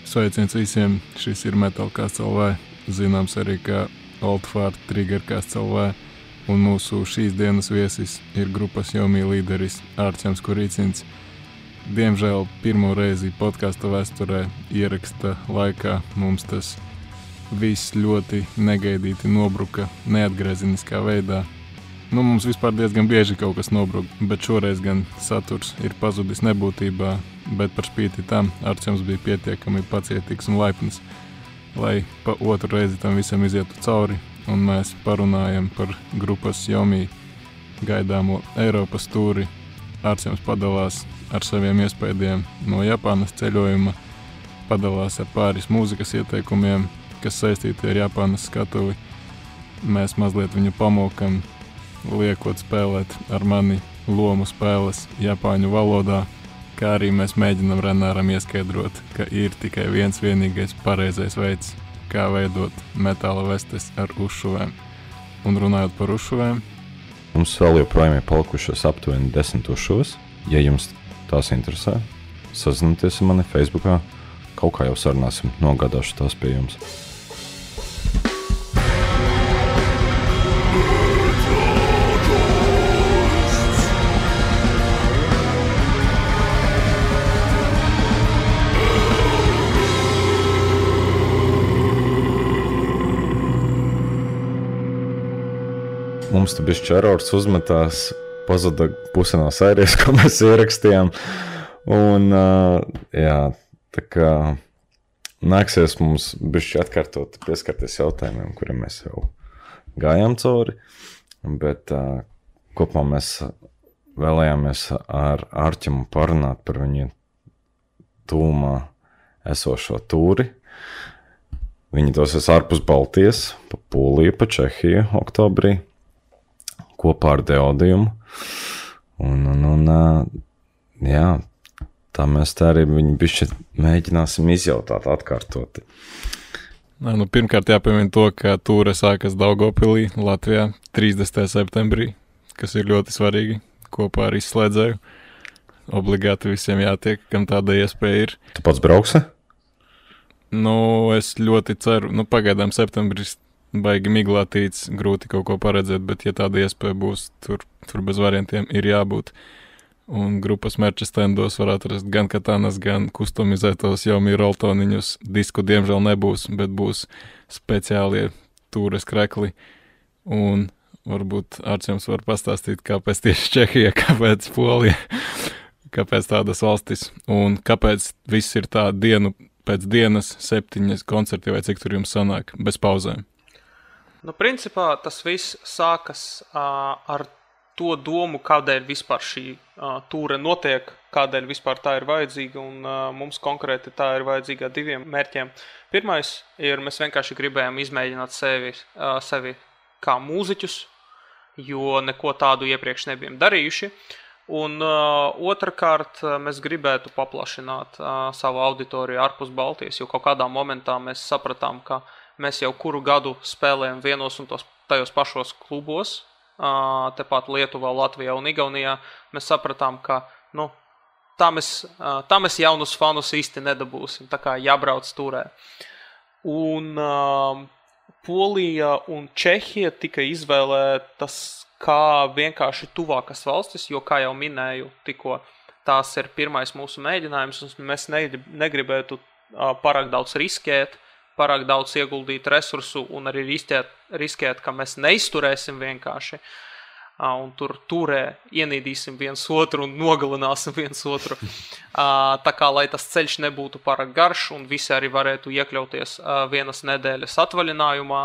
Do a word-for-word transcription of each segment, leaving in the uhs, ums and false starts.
Sveiciens visiem, šis ir Metalcast L V, zināms arī kā Oldfart Triggercast L V, un mūsu šīs dienas viesis ir grupas Yomi līderis Ārķems Kuricins. Diemžēl pirmo reizi podkasta vēsturē ieraksta laikā mums tas viss ļoti negaidīti nobruka neatgriezeniskā veidā. Nu, mums vispār diezgan bieži kaut kas nobruk, bet šoreiz gan saturs ir pazudis nebūtībā, bet par spīti tam Ārķems bija pietiekami pacietīgs un laipns, lai pa otru reizi tam visam izietu cauri, un mēs parunājam par grupas Yomi gaidāmo Eiropas tūri. Ārķems padalās ar saviem iespējiem no Japānas ceļojuma, padalās ar pāris mūzikas ieteikumiem, kas saistīti ar Japānas skatuvi. Mēs mazliet viņu pamokam, liekot spēlēt ar mani lomu spēles japāņu valodā, kā arī mēs mēģinam Renāram ieskaidrot, ka ir tikai viens vienīgais pareizais veids, kā veidot metāla vestes ar uzšuvēm. Un runājot par uzšuvēm, mums vēl joprojām ir palikušas aptuveni desmit uzšuvas. Ja jums tās interesē, sazinieties ar mani Facebookā, kaut kā jau sarunāsim, nogādāšu tās pie jums. Mums te bišķi erors uzmetās, pazuda puse no sērijas, ko mēs ierakstījām. Un, jā, tā kā nāksies mums bišķi atkārtot, pieskarties jautājumiem, kuriem mēs jau gājām cauri. Bet kopumā mēs vēlējāmies ar Ārķemu parunāt par viņu tūmā esošo tūri. Viņi dosies ārpus Baltijas, pa Poliju, pa Čehiju oktobrī, kopā ar Deodiumu. Un, un, un, jā, tā mēs tā arī viņu bišķi mēģināsim izjautāt, atkārtoti. Nā, nu, pirmkārt jāpiemina to, ka tūre sākas Daugavpilī, Latvijā, trīsdesmitajā septembrī, kas ir ļoti svarīgi, kopā ar izslēdzēju. Obligāti visiem jātiek, kam tāda iespēja ir. Tu pats brauksi? Nu, es ļoti ceru, nu, pagaidām septembris baigi miglātīts, grūti kaut ko paredzēt, bet ja tāda iespēja būs, tur, tur bez variantiem ir jābūt. Un grupas merča stendos var atrast gan katanas, gan kustomizētos Yomi roltoniņus. Disku diemžēl nebūs, bet būs speciālie tūres krekli. Un varbūt Ārķems var pastāstīt, kāpēc tieši Čehija, kāpēc Polija, kāpēc tādas valstis un kāpēc viss ir tā dienu pēc dienas septiņas koncerti vai cik tur jums sanāk bez pauzēm. Nu, principā tas viss sākas uh, ar to domu, kādēļ vispār šī uh, tūre notiek, kādēļ vispār tā ir vajadzīga, un uh, mums konkrēti tā ir vajadzīga diviem mērķiem. Pirmais ir, mēs vienkārši gribējām izmēģināt sevi, uh, sevi kā mūziķus, jo neko tādu iepriekš nebijām darījuši. Un uh, otrkārt, mēs gribētu paplašināt uh, savu auditoriju ārpus Baltijas, jo kaut kādā momentā mēs sapratām, ka mēs jau kuru gadu spēlējam vienos un tos, tajos pašos klubos, uh, tepat Lietuvā, Latvijā un Igaunijā. Mēs sapratām, ka nu, tā, mēs, uh, tā mēs jaunus fanus īsti nedabūsim, tā kā jābrauc turē. Un uh, Polija un Čehija tika izvēlētas kā vienkārši tuvākas valstis, jo, kā jau minēju, tikko tās ir pirmais mūsu mēģinājums, un mēs negribētu uh, pārāk daudz riskēt, pārāk daudz ieguldīt resursu un arī riskēt, riskēt ka mēs neizturēsim vienkārši. Uh, un tur turē ienīdīsim viens otru un nogalināsim viens otru. Uh, tā kā, lai tas ceļš nebūtu pārāk garš un visi arī varētu iekļauties uh, vienas nedēļas atvaļinājumā,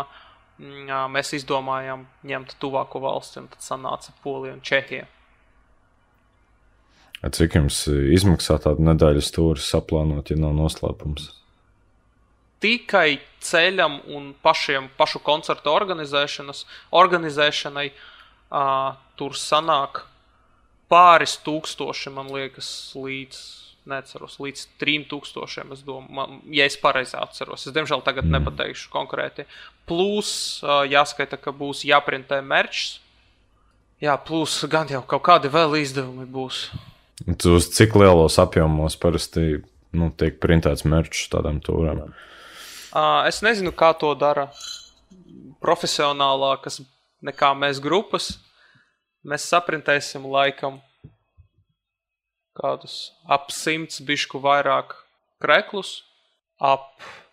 mēs izdomājām ņemt tuvāko valsti, un tad sanāca Polija un Čehija. Cik jums izmaksā tādu nedēļas tūri saplānot, ja nav noslēpums? Tikai ceļam un pašiem, pašu koncertu organizēšanas, organizēšanai uh, tur sanāk pāris tūkstoši, man liekas, līdz, neceros, līdz trim tūkstošiem, es domāju, man, ja es pareizi atceros. Es, diemžēl, tagad mm. nepateikšu konkrēti. Plus, uh, jāskaita, ka būs jāprintē merčs. Jā, plus, gan jau kaut kādi vēl izdevumi būs. Tu uz cik lielos apjomos parasti nu, tiek printēts merčs tādām tūrēm. Uh, es nezinu, kā to dara profesionālākas nekā mēs grupas. Mēs saprintēsim laikam kādus ap simts bišku vairāk kreklus, ap,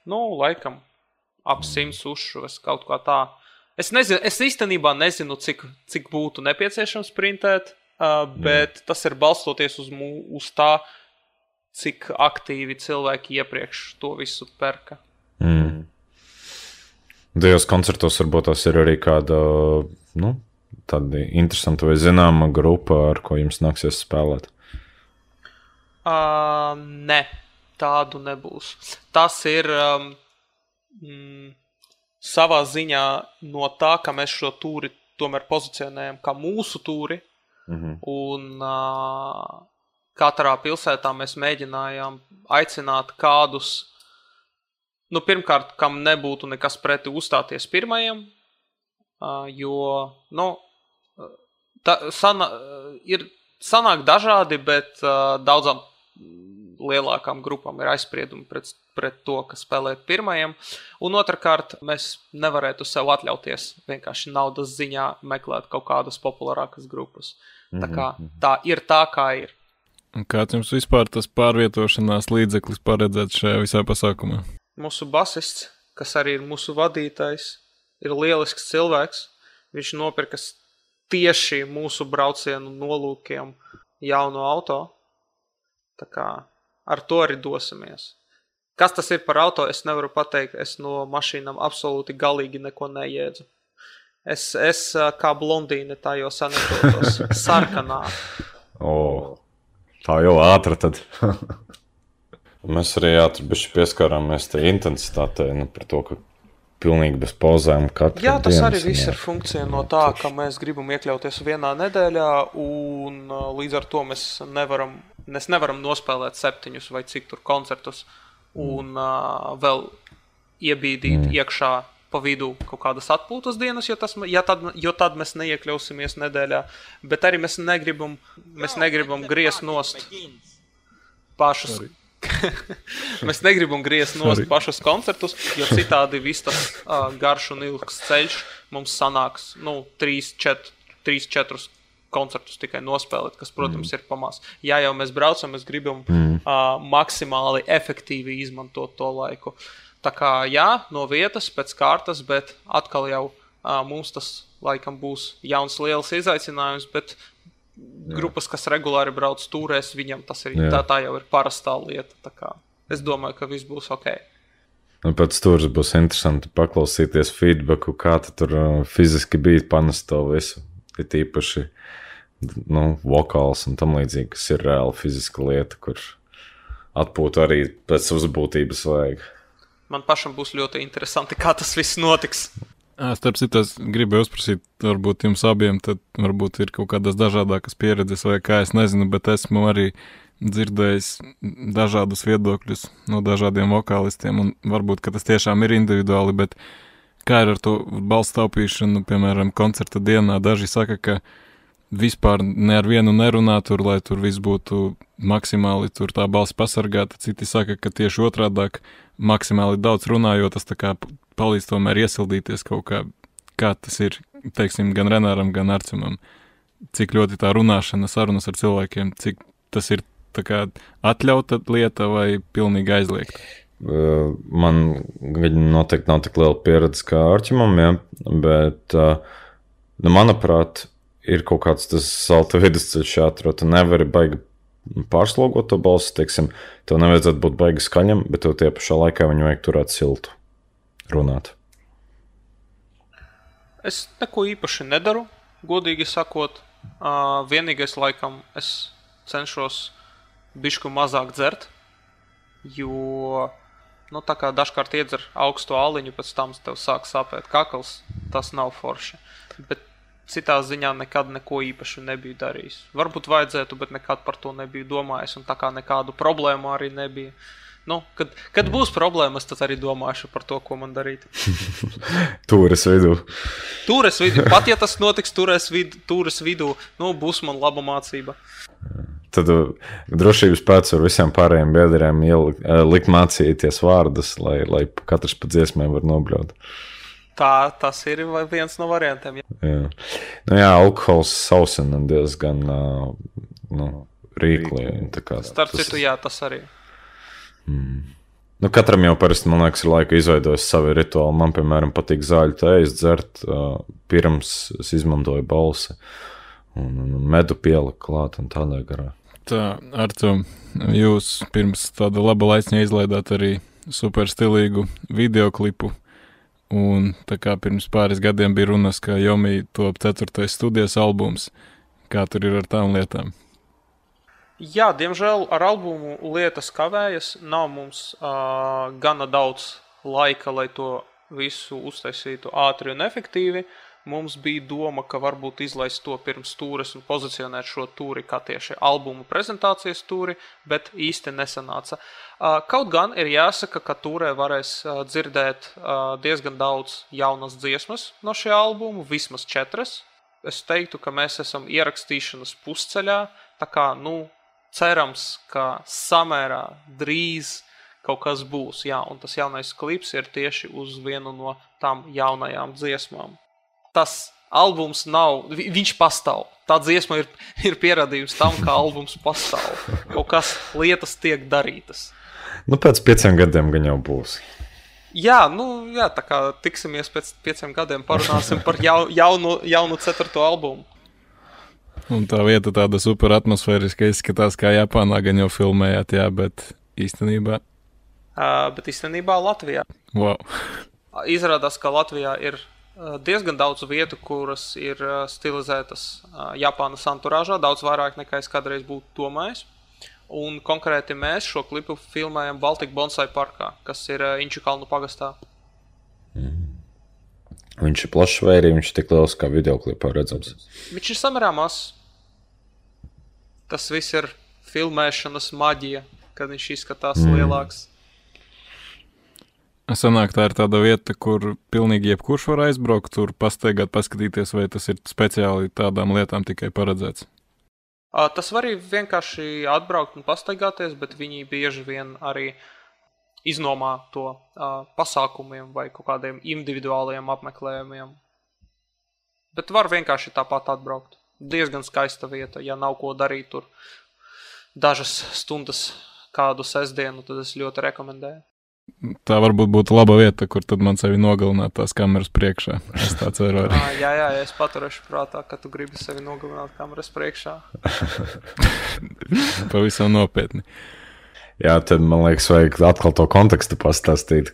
nu, laikam, ap simts uzšuves, kaut kā tā. Es nezinu, es īstenībā nezinu, cik, cik būtu nepieciešams printēt, uh, bet mm. tas ir balstoties uz, mū, uz tā, cik aktīvi cilvēki iepriekš to visu perka. Mm. Tajos koncertos varbūt tas ir arī kāda, nu, tāda interesanta vai zināma grupa, ar ko jums nāksies spēlēt? Uh, ne, tādu nebūs. Tas ir um, mm, savā ziņā no tā, ka mēs šo tūri tomēr pozicionējam kā mūsu tūri, mm-hmm. un uh, katrā pilsētā mēs mēģinājām aicināt kādus, nu, pirmkārt, kam nebūtu nekas preti uzstāties pirmajam, uh, jo, nu, ta, sana, ir sanāk dažādi, bet uh, daudzām lielākām grupām ir aizspriedumi pret, pret to, kas spēlē pirmajam. Un otrkārt, mēs nevarētu sev atļauties vienkārši naudas ziņā meklēt kaut kādas populārākas grupas. Tā kā tā ir tā, kā ir. Un kāds jums vispār tas pārvietošanās līdzeklis paredzēts šajā visā pasākumā? Mūsu basists, kas arī ir mūsu vadītājs, ir lielisks cilvēks. Viņš nopirkas tieši mūsu braucienu nolūkiem jaunu auto. Tā kā ar to arī dosimies. Kas tas ir par auto, es nevaru pateikt. Es no mašīnām absolūti galīgi neko nejēdzu. Es, es kā blondīne tā jau sanetotos sarkanā. O, tā jau ātra tad. Mēs arī ātri bišķi pieskārāmies te intensitātei, nu, par to, ka pilnīgi bez pauzēm katru Jā, tas dienas, arī viss jā. ir funkcija no tā, ka mēs gribam iekļauties vienā nedēļā, un līdz ar to mēs nevaram, mēs nevaram nospēlēt septiņus vai cik tur koncertus, un uh, vēl iebīdīt mm. iekšā pa vidu kaut kādas atpūtas dienas, jo, tas, ja tad, jo tad mēs neiekļausimies nedēļā, bet arī mēs negribam, mēs negribam griezt nost pašus. Mēs negribam griezt nost Sorry. pašus koncertus, jo citādi viss tas uh, garš un ilgs ceļš mums sanāks, nu, trīs, četrus koncertus tikai nospēlēt, kas, protams, mm. ir pamās. Ja jau mēs braucam, mēs gribam mm. uh, maksimāli efektīvi izmantot to laiku. Tā kā, jā, no vietas, pēc kārtas, bet atkal jau uh, mums tas laikam būs jauns liels izaicinājums, bet grupas, kas regulāri brauc tūrēs, viņam tas ir, tā, tā jau ir parastā lieta. Tā kā es domāju, ka viss būs ok. Un pēc tūras būs interesanti paklausīties feedbacku, kā tu tur uh, fiziski bija panest to visu. Ir tīpaši, nu, vokāls un tam līdzīgi, kas ir reāli fiziska lieta, kur atpūt arī pēc uzbūtības vajag. Man pašam būs ļoti interesanti, kā tas viss notiks. Starp citu, es gribēju uzprasīt, varbūt jums abiem, tad varbūt ir kaut kādas dažādākas pieredzes vai kā, es nezinu, bet esmu arī dzirdējis dažādus viedokļus no dažādiem vokālistiem, un varbūt, ka tas tiešām ir individuāli, bet kā ir ar to balss taupīšanu, piemēram, koncerta dienā, daži saka, ka vispār ne ar vienu nerunā tur, lai tur viss būtu maksimāli tur tā balss pasargāta, citi saka, ka tieši otrādāk maksimāli daudz runā, jo tas tā kā palīdz tomēr iesildīties kaut kā, kā tas ir, teiksim, gan Renāram, gan Arcumam. Cik ļoti tā runāšana, sarunas ar cilvēkiem, cik tas ir tā kā atļauta lieta vai pilnīgi aizliegta? Man noteikti nav tik liela pieredze kā Arčumam, ja, bet, nu, manuprāt, ir kaut kāds tas salta vidusceļš jāatrod. Tu nevari baigi pārslogot to balsi, teiksim, tev nevajadzētu būt baigi skaļam, bet tev tie pašā laikā viņu vajag turēt siltu. Runāt. Es neko īpaši nedaru, godīgi sakot. Uh, vienīgais laikam es cenšos bišku mazāk dzert, jo, nu, tā kā dažkārt iedzer augstu āliņu, pēc tam tev sāk sāpēt kakls, tas nav forši. Bet citā ziņā nekad neko īpaši nebiju darījis. Varbūt vajadzētu, bet nekad par to nebiju domājis, un tā kā nekādu problēmu arī nebija. nu, kad, kad būs problēmas, tad arī domāšu par to, ko man darīt. Tūres vidū. Tūres vidū. Pat ja tas notiks tūres vidū, tūres vidū, nu, būs man laba mācība. Tad drošības pēc ar visiem pārējiem biedriem ielikt, likt mācīties vārdus, lai, lai katrs pa dziesmēm var nobļaut. Tā, tas ir viens no variantiem. Jā, jā. Nu jā, alkohols sausina diezgan nu, rīkli. Starp tas... citu, jā, tas arī. Mm. Nu, katram jau parasti, man liekas, ir laika izveidojis savu rituālu. Man, piemēram, patīk zāļu tējas dzert, pirms es izmantoju balsi un, un medu pieliku klāt un tādā garā. Tā, Artur, jūs pirms tāda laba laiciņa izlaidāt arī super stilīgu videoklipu, un tā kā pirms pāris gadiem bija runas, ka Jomī top ceturtais studijas albums. Kā tur ir ar tām lietām? Jā, diemžēl ar albumu lietas kavējas. Nav mums uh, gana daudz laika, lai to visu uztaisītu ātri un efektīvi. Mums bija doma, ka varbūt izlaist to pirms tūres un pozicionēt šo tūri kā tieši albumu prezentācijas tūri, bet īsti nesanāca. Uh, kaut gan ir jāsaka, ka tūrē varēs uh, dzirdēt uh, diezgan daudz jaunas dziesmas no šī albumu, vismaz četras. Es teiktu, ka mēs esam ierakstīšanas pusceļā, tā kā, nu, cerams, ka samērā drīz kaut kas būs. Jā, un tas jaunais klips ir tieši uz vienu no tām jaunajām dziesmām. Tas albums nav, viņš pastāv. Tā dziesma ir, ir pierādījums tam, ka albums pastāv. Kaut kas lietas tiek darītas. Nu, pēc pieciem gadiem gan jau būs. Jā, nu, jā, tā kā tiksimies pēc pieciem gadiem, parunāsim par jau, jaunu, jaunu ceturto albumu. Un tā vieta tāda super atmosfēriska izskatās, kā Japānā gan jau filmējāt, jā, bet īstenībā... Uh, bet īstenībā Latvijā. Wow. Izrādās, ka Latvijā ir diezgan daudz vietu, kuras ir stilizētas Japānas anturāžā, daudz vairāk nekā es kādreiz būtu domājis. Un konkrēti mēs šo klipu filmējam Baltika Bonsai parkā, kas ir Inčukalnu pagastā. Mm. Viņš ir plašs vai arī viņš ir tik liels kā videoklipā redzams? Viņš ir samērā mazs. Tas viss ir filmēšanas maģija, kad viņš izskatās mm. lielāks. Sanāk, tā ir tāda vieta, kur pilnīgi jebkurš var aizbraukt, tur pastaigāt, paskatīties, vai tas ir speciāli tādām lietām tikai paredzēts? Tas var arī vienkārši atbraukt un pastaigāties, bet viņi bieži vien arī iznomā to uh, pasākumiem vai kaut kādiem individuāliem apmeklējumiem. Bet var vienkārši tāpat atbraukt. Diezgan skaista vieta, ja nav ko darīt tur dažas stundas kādu sestdienu, tad es ļoti rekomendēju. Tā varbūt būtu laba vieta, kur tad man sevi nogalināt tās kameras priekšā. Es tā ceru arī. Jā, jā, jā, es paturēšu prātā, ka tu gribi sevi nogalināt kameras priekšā. Pavisam nopietni. Jā, tad man liekas, vajag atkal to kontekstu pastāstīt.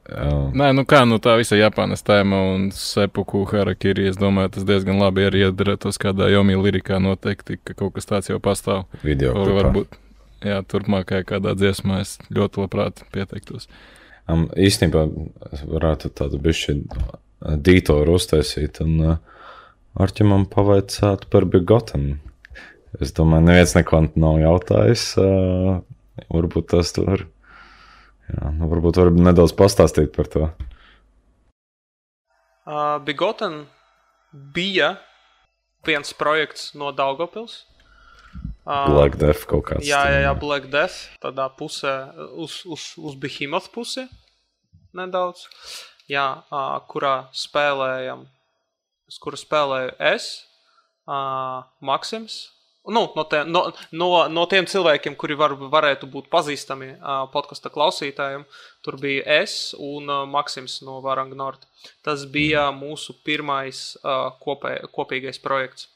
Uh. Nē, nu kā, nu tā visa Japānas tēma un seppuku harakiri, es domāju, tas diezgan labi arī iedarētos kādā Jomī lirikā noteikti, ka kaut kas tāds jau pastāv. Video klipā. Varbūt. Jā, turpmākajā kādā dziesmā es ļoti labprāt pieteiktos. Um, īstenībā varētu tādu bišķi dītoru uztaisīt un uh, Arķimam pavaicāt par Bigotten. Es domāju, neviens neko nav jautājis. Uh, varbūt tas var, jā, nu, varbūt var nedaudz pastāstīt par to. Uh, Bigotten bija viens projekts no Daugavpils. Black Death kaut kāds. Jā, jā, jā, Black Death, tādā pusē, uz, uz, uz Behemoth pusi nedaudz, jā, uh, kurā spēlējam, uz kura spēlēju es, uh, Maksims, nu, no, te, no, no, no tiem cilvēkiem, kuri var, varētu būt pazīstami uh, podkasta klausītājiem, tur bija es un uh, Maksims no Varang Nord. Tas bija mūsu pirmais uh, kopē, kopīgais projekts,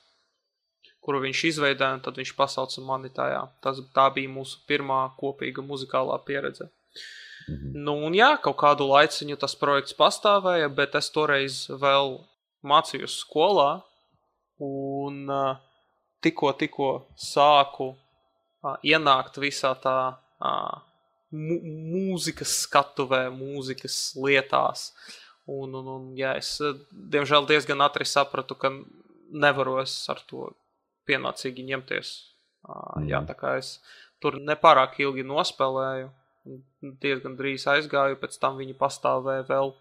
kuru viņš izveidoja, un tad viņš pasauca mani tajā. Tas, tā bija mūsu pirmā kopīga muzikālā pieredze. Mm-hmm. Nu, un jā, kaut kādu laiciņu tas projekts pastāvēja, bet es toreiz vēl mācījos skolā, un uh, tikko, tikko sāku uh, ienākt visā tā uh, mu- mūzikas skatuvē, mūzikas lietās. Un, un, un jā, es diemžēl diezgan ātri sapratu, ka nevaru es ar to pienācīgi ņemties. Uh, jā, tā kā es tur nepārāk ilgi nospēlēju, diezgan drīz aizgāju, pēc tam viņi pastāvēja vēl.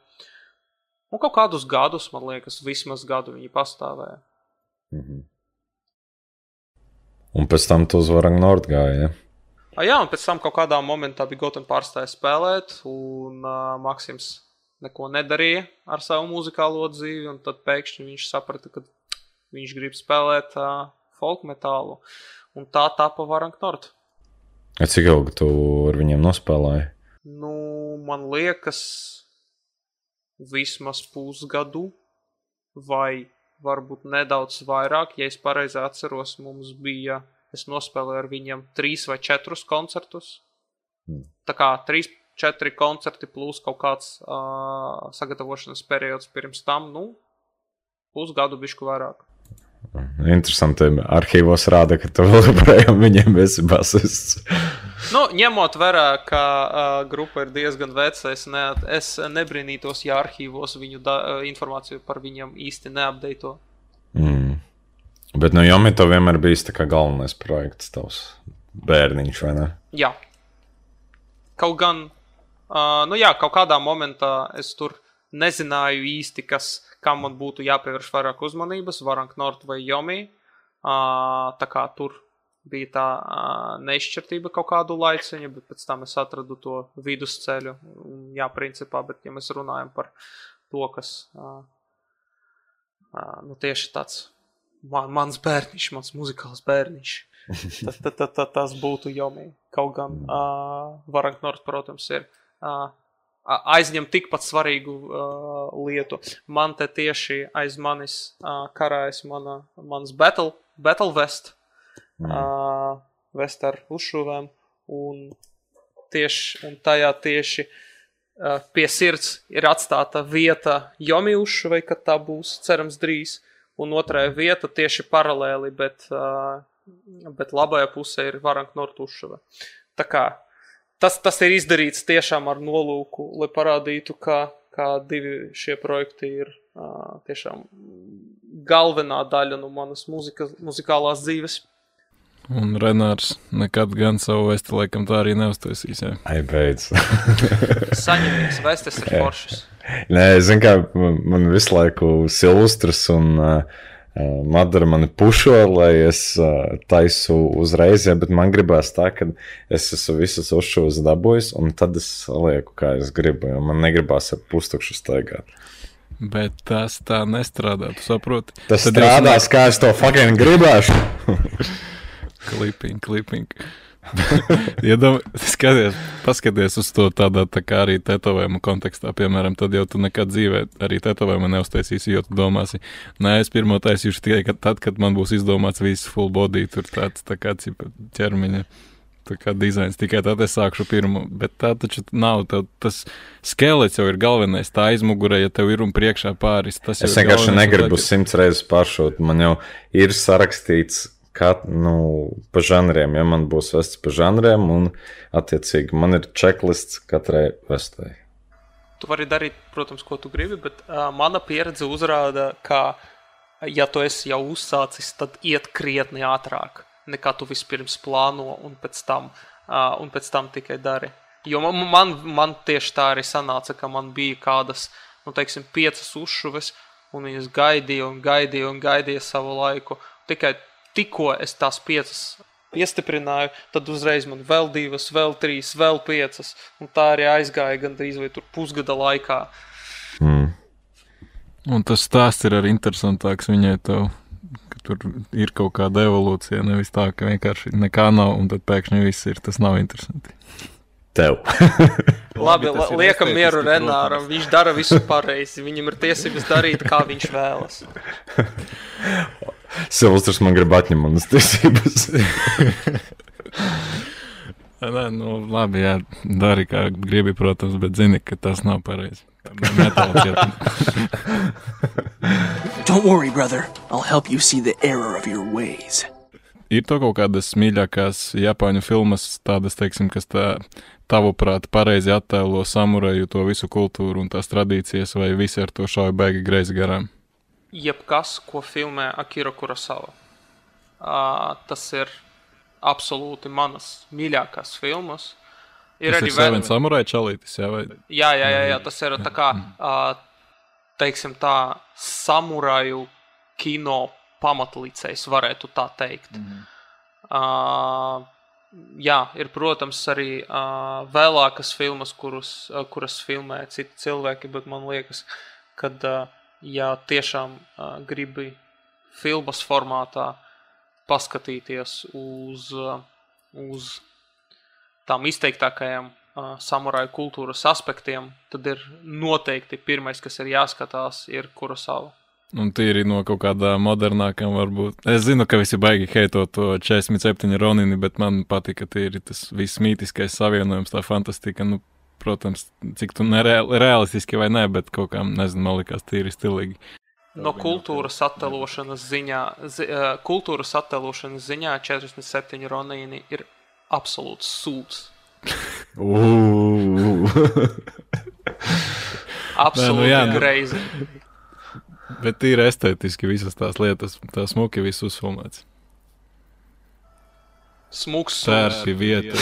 Un kaut kādus gadus, man liekas, vismaz gadu viņi pastāvēja. Mhm. Un pēc tam tu uz Varang Nord gāja, ja? A, jā, un pēc tam kaut kādā momentā bija Goten pārstāja spēlēt, un uh, Maksims neko nedarīja ar savu muzikālo dzīvi, un tad pēkšņi viņš saprata, ka viņš grib spēlēt uh, folk metālu, un tā tapa Varang Nord. Cik ilgi tu ar viņiem nospēlēji? Nu, man liekas, vismaz pusgadu, vai varbūt nedaudz vairāk, ja es pareizi atceros, mums bija, es nospēlēju ar viņiem trīs vai četrus koncertus. Hmm. Tā kā trīs, četri koncerti plus kaut kāds uh, sagatavošanas periods pirms tam, nu, pusgadu bišku vairāk. Interesanti, arhīvos rāda, ka tu vēl joprojām viņiem esi basists. Nu, ņemot vērā, ka uh, grupa ir diezgan veca, es, ne, es nebrīnītos, ja arhīvos viņu da, informāciju par viņiem īsti neapdeito. Mm. Bet no Jomi to vienmēr bijis tā kā galvenais projekts tavs bērniņš, vai ne? Jā. Kaut gan, uh, nu jā, kaut kādā momentā es tur nezināju īsti, kas, kam man būtu jāpievērš vairāk uzmanības, Varang Nord vai Jomi. Uh, tā kā tur bija tā uh, neizšķirtība kaut kādu laiciņu, bet pēc tam es atradu to vidusceļu. Jā, principā, bet ja mēs runājam par to, kas uh, uh, nu tieši tāds man, mans bērniņš, mans muzikāls bērniņš, tas, tas, tas, tas būtu Jomi. Kaut gan uh, Varang Nord, protams, ir uh, aizņem tikpat svarīgu uh, lietu. Man te tieši aiz manis uh, karājas mana, mans battle, battle vest, mm. uh, vest ar uzšuvēm, un, tieši, un tajā tieši uh, pie sirds ir atstāta vieta Jomi uzšuvei, kad tā būs, cerams, drīz, un otrajā vieta tieši paralēli, bet, uh, bet labajā pusē ir Varang Nord uzšuve. Tā kā Tas, tas ir izdarīts tiešām ar nolūku, lai parādītu, ka, ka divi šie projekti ir uh, tiešām galvenā daļa no manas muzika, muzikālās dzīves. Un Renārs nekad gan savu vesti laikam tā arī neuztaisīs, jā. Ai, beidz. Saņemies, vestes ir foršas. Nē, zin kā, man visu laiku Silvestrs un uh, Madara mani pušo, lai es uh, taisu uzreiz, ja, bet man gribās tā, ka es esmu visas uzšūs dabūjis, un tad es lieku, kā es gribu, jo man negribās ar pustukšu staigāt. Bet tas tā nestrādā, tu saproti? Tas tad strādās, ne... kā es to fucking gribēšu. Kliping, kliping. Iedam, skaties, paskaties uz to tādā tā kā arī tetovējuma kontekstā, piemēram, tad jau tu nekad dzīvē arī tetovējuma neuztaisīsi, jo tu domāsi, nē, es pirmo taisīšu tikai kad, tad, kad man būs izdomāts viss full body, tur tāds tā kā cipa ķermeņa, tā kā dizains, tikai tad es sākšu pirmo, bet tā taču nav, tev, tas skelets jau ir galvenais, tā aizmugurē, ja tev ir un priekšā pāris, tas jau es ir galvenais. Es vienkārši negribu simts reizes pāršūt, man jau ir sarakstīts, kā, nu, pa žanriem, ja man būs vests pa žanriem, un attiecīgi man ir checklists katrai vestai. Tu vari darīt, protams, ko tu gribi, bet uh, mana pieredze uzrāda, ka, ja tu esi jau uzsācis, tad iet krietni ātrāk, nekā tu vispirms plāno, un pēc tam, uh, un pēc tam tikai dari. Jo man, man, man tieši tā arī sanāca, ka man bija kādas, nu, teiksim, piecas uzšuves, un viņas gaidīja un gaidīja un gaidīja savu laiku. Tikai tikko es tās piecas piestiprināju, tad uzreiz man vēl divas, vēl trīs, vēl piecas, un tā arī aizgāja gandrīz vai tur pusgada laikā. Mm. Un tas stāsts ir arī interesantāks viņai tev, ka tur ir kaut kāda evolūcija, nevis tā, ka vienkārši nekā nav, un tad pēkšņi viss ir, tas nav interesanti. Tev. Labi, la, liekam mieru Renāram, viņš dara visu pareizi, viņam ir tiesības darīt, kā viņš vēlas. Silvestrs man grib atņemt manas tiesības. Nē, nu labi, jā, dari kā gribi, protams, bet zini, ka tas nav pareizi. Don't worry, brother. I'll help you see the error of your ways. Ir to kaut kādas mīļākās Japāņu filmas, tādas, teiksim, kas tā tavuprāt pareizi attēlo samuraju to visu kultūru un tās tradīcijas, vai visi ar to šauja baigi greizi garām? Jebkas, ko filmē Akira Kurosawa. Uh, tas ir absolūti manas mīļākās filmas. Ir tas arī ir Seven vēl... Samurai čalītis, jā, vai? Jā, jā, jā, jā, tas ir tā kā, teiksim tā, samuraju kino pamatlicējs, varētu tā teikt. Mm. Uh, jā, ir, protams, arī uh, vēlākas filmas, kurus, uh, kuras filmē citi cilvēki, bet man liekas, kad, uh, ja tiešām uh, gribi filmas formātā paskatīties uz, uh, uz tām izteiktākajām uh, samuraju kultūras aspektiem, tad ir noteikti pirmais, kas ir jāskatās, ir Kurosawa. Un tīri no kaut kādām modernākām varbūt. Es zinu, ka visi baigi heitot to četrdesmit septiņi Ronini, bet man patika tīri tas viss mītiskais savienojums, tā fantastika. Nu, protams, cik tu nerealistiski vai ne, bet kaut kā, nezinu, man likās tīri stilīgi. No kultūras attēlošanas ziņā, zi, kultūras attēlošanas ziņā četrdesmit septiņi Ronini ir absolūts sūds. Absolūti greizi. Bet tīri estētiski visas tās lietas, tā smuki viss uzfilmēts. Smuks tērpi vieta.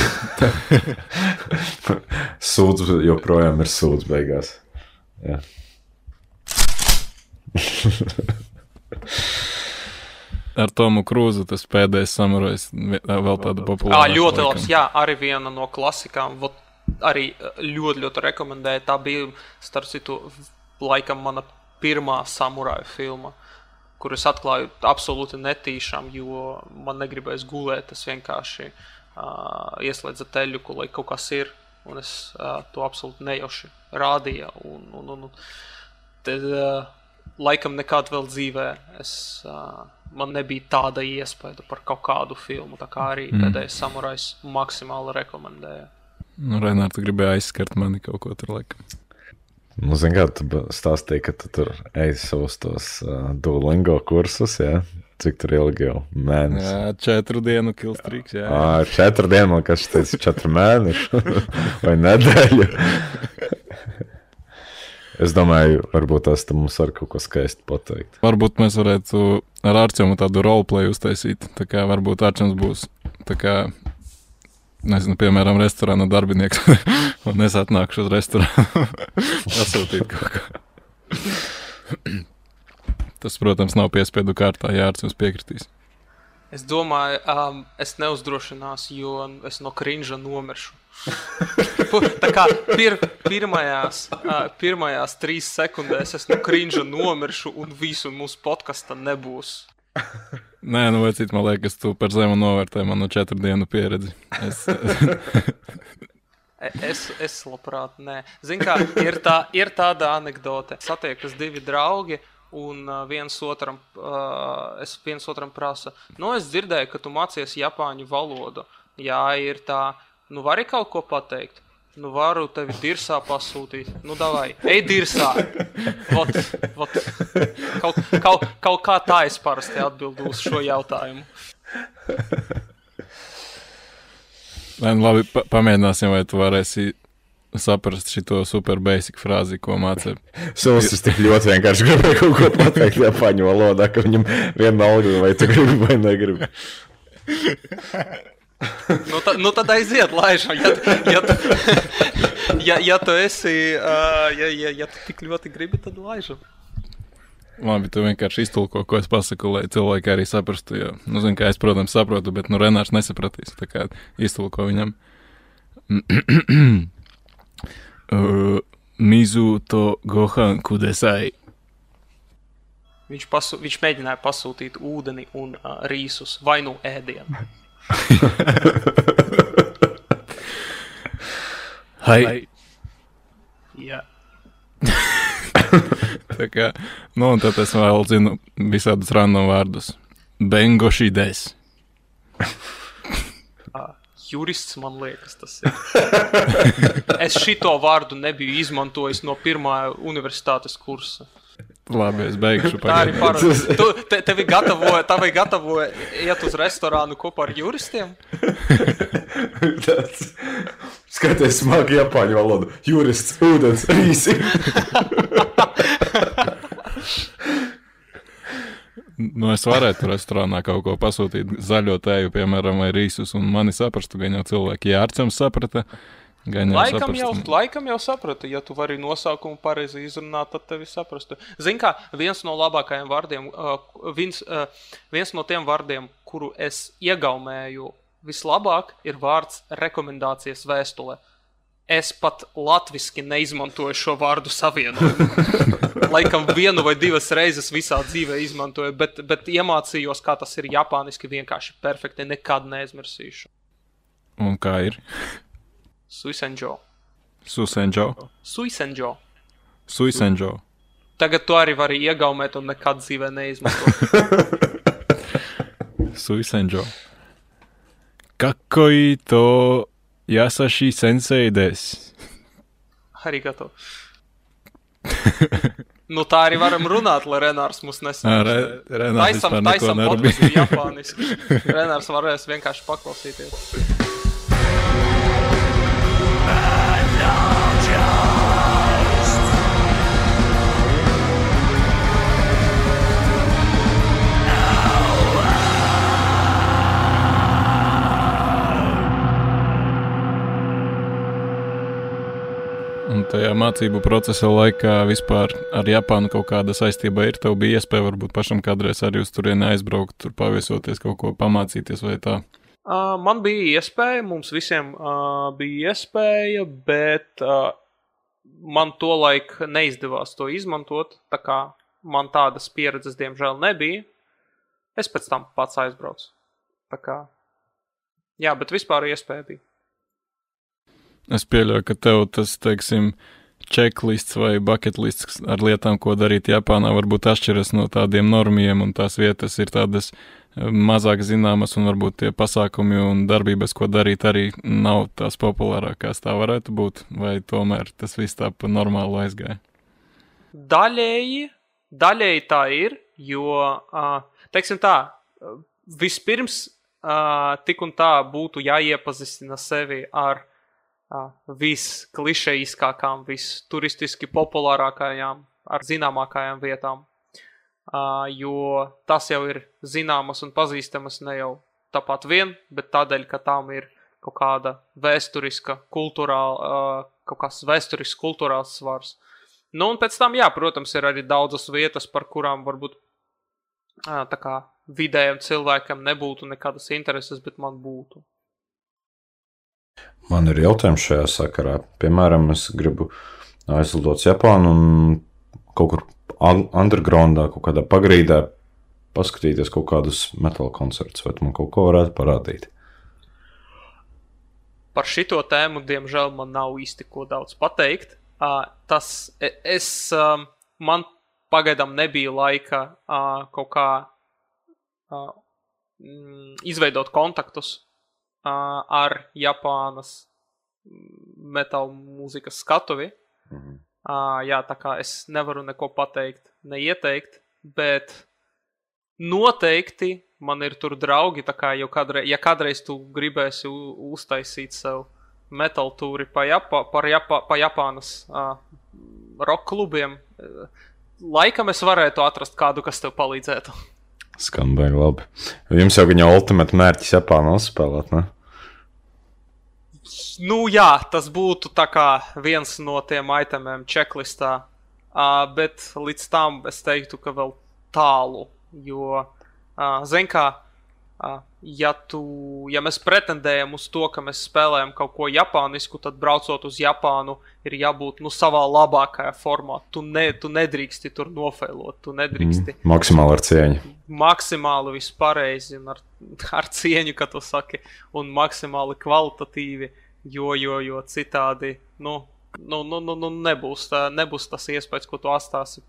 Sūds joprojām ir sūds beigās. Jā. Ar Tomu Krūzu tas pēdējais samurajs vēl tāda populāra. Ā, ļoti labs, jā, arī viena no klasikām. Vot, arī ļoti, ļoti rekomendēju. Tā bija, starp citu, laikam mana pirmā samuraju filma, kur es atklāju absolūti netīšām, jo man negribēs gulēt, es vienkārši uh, ieslēdza teļuku, lai kaut kas ir, un es uh, to absolūti nejauši rādīja, un, un, un tad uh, laikam nekad vēl dzīvē es, uh, man nebija tāda iespēja par kaut kādu filmu, tā kā arī mm. pēdējais samurajs maksimāli rekomendēja. Nu, Renār, tu gribēji aizskart mani kaut ko tur laikam. Nu, zin kā, tu stāstīji, ka tu tur ej savus tos uh, Duolingo kursus, jā? Cik tur ilgi jau? Mēnesis? Jā, četru dienu kilstrīks, jā. jā. Ā, četru dienu, man kas teica, četru mēnešu vai nedēļu. Es domāju, varbūt tās tu mums var kaut ko skaisti pateikt. Varbūt mēs varētu ar Arčemu tādu roleplay uztaisīt, tā kā varbūt Arčems būs tā kā... Nezinu, piemēram, restorāna darbinieks, un es atnākšu uz restorānu pasūtīt kaut kā. Tas, protams, nav piespiedu kārtā, ja Arčuns piekritīs. Es domāju, um, es neuzdrošinās, jo es no crinža nomiršu. Tā kā pir, pirmajās, uh, pirmajās trīs sekundēs es no crinža nomiršu, un visu mūsu podkasta nebūs. Nē, nu vai cit, man liekas, tu par zemu novērtē manu četru dienu pieredzi. Es, es, es labprāt, nē. Zin kā, ir, tā, ir tāda anekdote. Satiekas divi draugi, un uh, viens otram, uh, es viens otram prasa, nu, es dzirdēju, ka tu mācies japāņu valodu. Jā, ir tā, nu, vari kaut ko pateikt? Nu, varu tevi dirsā pasūtīt. Nu, davai, ej dirsā. Vot, vot. Kaut, kaut, kaut kā tā es parasti atbildu uz šo jautājumu. Lai, nu labi, pa pamēģināsim, vai tu varēsi saprast šito super basic frāzi, ko mācē. Solis tik ļoti vienkārši gribēja kaut ko pateikt japāņu valodā, ka viņam vienalga, vai tu gribi vai negribi. Nu, ta, nu tad aiziet, laižam, ja, ja, tu, ja, ja tu esi, uh, ja, ja, ja tu tik ļoti gribi, tad laižam. Labi, tu vienkārši iztulko, ko es pasaku, lai cilvēki arī saprastu, jo, nu, zin, kā es, protams, saprotu, bet, nu, Renārs nesapratīs, tā kā iztulko viņam. uh, Mizu to gohan kudesai. Viņš, pasu, viņš mēģināja pasūtīt ūdeni un uh, rīsus, vai nu ēdienu. Hai. Jā. Tā kā, nu un tad es vēl zinu visādus random vārdus. Bengoši des. Uh, jurists, man liekas, tas ir. Es šito vārdu nebiju izmantojis no pirmā universitātes kursa. Labi, es beigšu pagājuši. Tā arī parasti. Tu, te, tevi gatavoja, tevi gatavoja iet uz restorānu kopā ar juristiem? Tāds, skaties smagi japāņu valodu. Jurists, ūdens, rīsi. Nu, es varētu restorānā kaut ko pasūtīt zaļo tēju, piemēram, vai rīsus, un mani saprastu, gan jau cilvēki. Ja Arčams saprata, Laikam jau, laikam jau sapratu, ja tu vari nosaukumu pareizi izrunāt, tad tevi saprastu. Zin kā, viens no labākajiem vārdiem, uh, viens, uh, viens no tiem vārdiem, kuru es iegaumēju vislabāk, ir vārds rekomendācijas vēstulē. Es pat latviski neizmantoju šo vārdu savienojumu. Laikam vienu vai divas reizes visā dzīvē izmantoju, bet, bet iemācījos, kā tas ir japāniski vienkārši perfekti, nekad neaizmirsīšu. Un kā ir? Suisenjo. Susenjo. Suisenjo. Suisenjo. Tagad tu arī vari iegaumēt un nekad dzīvē neizmantot. Suisenjo. Kakkoi to yasashi sensei desu. Arigato. Nu tā arī varam runāt, lai Renārs mūs nesaprastu. Re, Renārs taisam, vispār neko taisam nerabīja. podcastu japāniski. Renārs varēs vienkārši paklausīties. Un tajā mācību procesa laikā vispār ar Japānu kaut kāda saistība ir? Tev bija iespēja varbūt pašam kādreiz arī uz turieni aizbraukt, tur paviesoties, kaut ko pamācīties vai tā? Uh, man bija iespēja, mums visiem uh, bija iespēja, bet uh, man tolaik neizdevās to izmantot, tā kā man tādas pieredzes diemžēl nebija. Es pēc tam pats aizbraucu. Tā kā, jā, bet vispār iespēja bija. Es pieļauju, ka tev tas, teiksim, checklists vai bucketlists ar lietām, ko darīt Japānā, varbūt atšķiras no tādiem normiem, un tās vietas ir tādas mazāk zināmas, un varbūt tie pasākumi un darbības, ko darīt, arī nav tās populārākās. Tā varētu būt, vai tomēr tas viss tā pa normālu aizgāja? Daļēji, daļēji tā ir, jo, teiksim tā, vispirms tik un tā būtu jāiepazīstina sevi ar visklišejiskākām, visturistiski populārākajām, ar zināmākajām vietām, jo tas jau ir zināmas un pazīstamas ne jau tāpat vien, bet tādēļ, ka tām ir kaut kāda vēsturiska, kulturāla, kaut kāds vēsturisks kulturāls svars. Nu, un pēc tam, jā, protams, ir arī daudzas vietas, par kurām varbūt tā kā vidējiem cilvēkam nebūtu nekādas intereses, bet man būtu. Man ir jautājums šajā sakarā. Piemēram, es gribu aizlidot uz Japānu un kaut kur undergroundā, kaut kādā pagrīdā paskatīties kaut kādus metāla koncertus. Vai tu man kaut ko varētu parādīt? Par šito tēmu, diemžēl, man nav īsti ko daudz pateikt. Tas, es, man pagaidām nebija laika kaut kā izveidot kontaktus ar Japānas metāla mūzikas skatuvi. Mhm. Uh, jā, tā kā es nevaru neko pateikt, neieteikt, bet noteikti man ir tur draugi, tā kā jau kādreiz, ja kādreiz tu gribēsi uztaisīt sev metāla tūri pa, Japa, par Japa, pa Japānas uh, rock klubiem, laikam es varētu atrast kādu, kas tev palīdzētu. Skan baigi labi. Jums jau viņa ultimate mērķis Japānā uzspēlēt, ne? Nu jā, tas būtu tā kā viens no tiem itemiem checklistā, uh, bet līdz tam es teiktu, ka vēl tālu, jo, uh, zin kā, uh, ja, tu, ja mēs pretendējam uz to, ka mēs spēlējam kaut ko japānisku, tad braucot uz Japānu ir jābūt, nu, savā labākajā formā. Tu, ne, tu nedrīksti tur nofeilot, tu nedrīksti. Mm, maksimāli ar cieņu. Maksimāli vispareizi un ar, ar cieņu, kā tu saki, un maksimāli kvalitatīvi. Jo, jo, jo citādi, nu, nu, nu, nu nebūs, tā, nebūs tas iespējas, ko tu atstāsi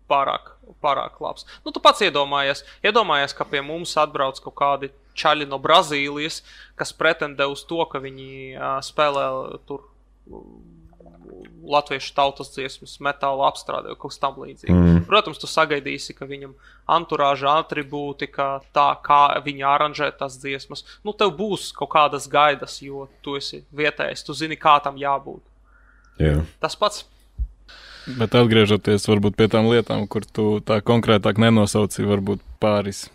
pārāk, pārāk labs. Nu, tu pats iedomājies, iedomājies, ka pie mums atbrauc kaut kādi čaļi no Brazīlijas, kas pretendē uz to, ka viņi uh, spēlē tur latviešu tautas dziesmas, metāla apstrādē, kaut kas tam līdzīgi. Mm. Protams, tu sagaidīsi, ka viņam anturāža atribūti, ka tā, kā viņi aranžē tās dziesmas, nu, tev būs kaut kādas gaidas, jo tu esi vietējais, tu zini, kā tam jābūt. Yeah. Tas pats. Bet atgriežoties varbūt pie tām lietām, kur tu tā konkrētāk nenosauci, varbūt pāris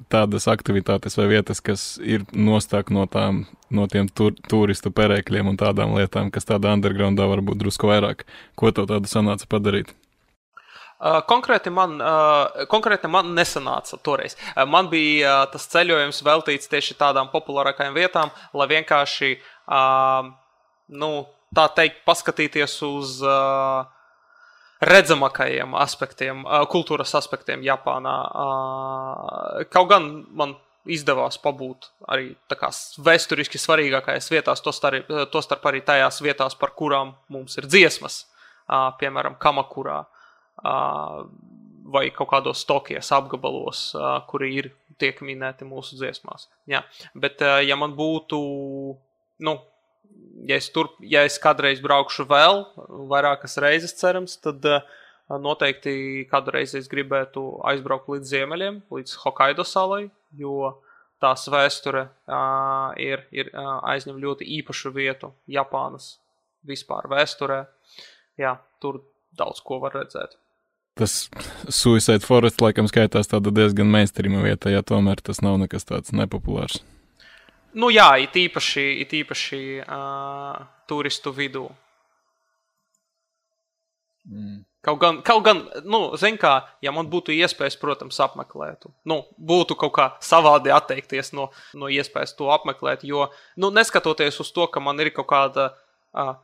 tādas aktivitātes vai vietas, kas ir nostāk no, tām, no tiem tur, turistu perēkļiem un tādām lietām, kas tādā undergroundā varbūt drusku vairāk. Ko tev tādu sanāca padarīt? Uh, konkrēti, man, uh, konkrēti man nesanāca toreiz. Uh, man bija uh, tas ceļojums veltīts tieši tādām populārākajām vietām, lai vienkārši, uh, nu, tā teikt, paskatīties uz uh, redzamākajiem aspektiem, uh, kultūras aspektiem Japānā. Uh, kaut gan man izdevās pabūt arī tā kā vēsturiski svarīgākajās vietās, to starp, to starp arī tajās vietās, par kurām mums ir dziesmas, uh, piemēram, Kamakurā. Uh, vai kaut kādos Tokijas apgabalos, uh, kuri ir tiek minēti mūsu dziesmās. Jā. Bet, uh, ja man būtu, nu, ja es, tur, ja es kādreiz braukšu vēl, vairākas reizes cerams, tad uh, noteikti kādu reizi es gribētu aizbraukt līdz ziemeļiem, līdz Hokaido salai, jo tās vēsture uh, ir, ir uh, aizņem ļoti īpašu vietu Japānas vispār vēsturē. Jā, tur daudz ko var redzēt. Tas Suicide Forest laikam skaitās tāda diezgan mainstreama vieta, ja tomēr tas nav nekas tāds nepopulārs. Nu jā, it īpaši, it īpaši uh, turistu vidū. Mm. Kaut gan, kaut gan, nu, zin kā, ja man būtu iespējas, protams, apmeklētu. Nu, būtu kaut kā savādi atteikties no, no iespējas to apmeklēt, jo, nu, neskatoties uz to, ka man ir kaut kāda uh,